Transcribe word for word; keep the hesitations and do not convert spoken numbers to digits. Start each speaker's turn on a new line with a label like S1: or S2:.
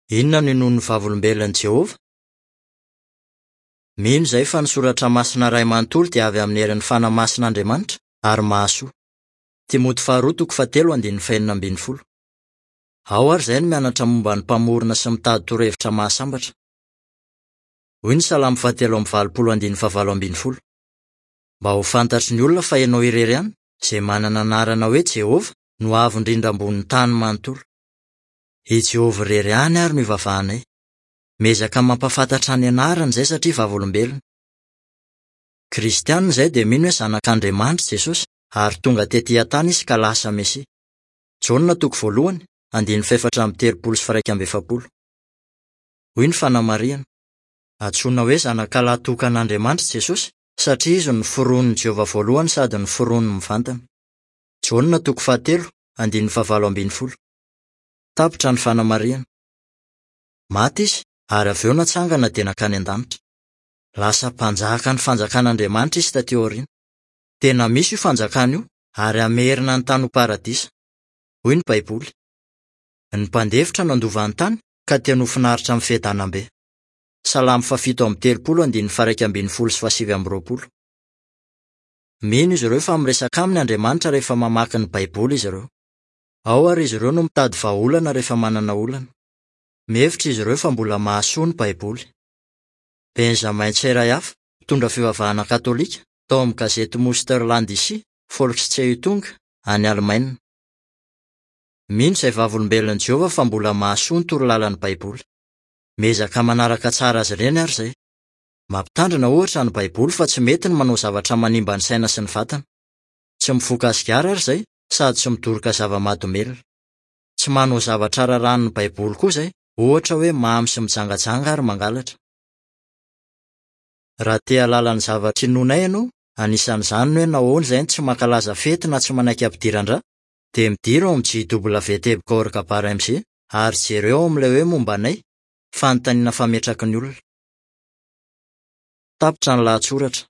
S1: Inona no inoan'ny Vavolombelon'i Jehovah? Mino izahay fa ny soratra masina iray manontolo dia avy amin'ny herin'ny Fanahy Masin'Andriamanitra ary mahasoa. Timoty faharoa toko fahatelo andininy fahenina ambin'ny folo. Ao ary izahay no mianatra momba ny Mpamorona sy mitady torohevitra mahasambatra. Hoy ny Salamo fahatelo amby valopolo andininy fahavalo ambin'ny folo. Mba ho fantatry ny olona fa ianao irery ihany, izay manana anarana hoe Jehovah, no avo indrindra ambonin'ny tany manontolo. I Jehovah irery ihany ary no ivavahanay. Miezaka mampahafantatra ny anarany izay satria vavolombelona. Kristianina izay dia mino hoe zanak'Andriamanitra Jesosy ary tonga tetỳ an-tany izy ka lasa Mesia. Jaona toko voalohany, andininy fahefatra amby telopolo sy firaika amby efapolo. Hoy ny fanamarihana. Antsoina hoe zanakalahy tokan'Andriamanitra Jesosy satria izy no noforonin'i Jehovah voalohany sady noforoniny mivantana. Jaona toko fahatelo, andininy fahavalo ambin'ny folo. Tapitra ny fanamarihana. Maty izy ary avy eo natsangana dia nankany an-danitra. Lasa mpanjaka ny fanjakan'Andriamanitra izy taty aoriana. Tena misy io fanjakana io ary hamerina ny tany ho paradisa. Hoy ny Baiboly. Ny mpandefitra no handova ny tany ka tena ho finaritra amin'ny fiadanam-be. Salamo fahafito amby telopolo andininy faharaika ambin'ny folo sy fahasivy amby roapolo. Mino izy ireo fa miresaka aminy Andriamanitra rehefa mamaky ny Baiboly izy ireo. Ao ary izy ireo no mitady vahaolana rehefa manana olana. Mihevitra izy ireo fa mbola mahasoa ny Baiboly. Benjamin Tseray hafa, mpitondra fivavahana katolika, tao amin'ny gazety Münsterländische Volkszeitung any Alemaina. Mino izay vavolombelon'i Jehovah fa mbola mahasoa ny torolalan'ny Baiboly. Miezaka manaraka tsara azy ireny ary izay. Mampitandrina ohatra ny Baiboly fa tsy mety ny manao zavatra manimba ny saina sy ny vatana. Tsy mifoka sigara ary izay sady tsy midoroka zava-mahadomelina. Tsy manao zavatra raràn'ny Baiboly koa izay, ohatra hoe mamy sy mijangajanga ary mangalatra. Raha te hahalala ny zavatra inoanay ianao, anisan'izany ny hoe nahoana izay no tsy mankalaza fety na tsy manaiky ampidiran-drà, dia midira ao amin'ny J W teboka org M G ary jereo ao amin'ilay hoe momba anay, fanontaniana fametraky ny olona. Tapitra ny lahatsoratra.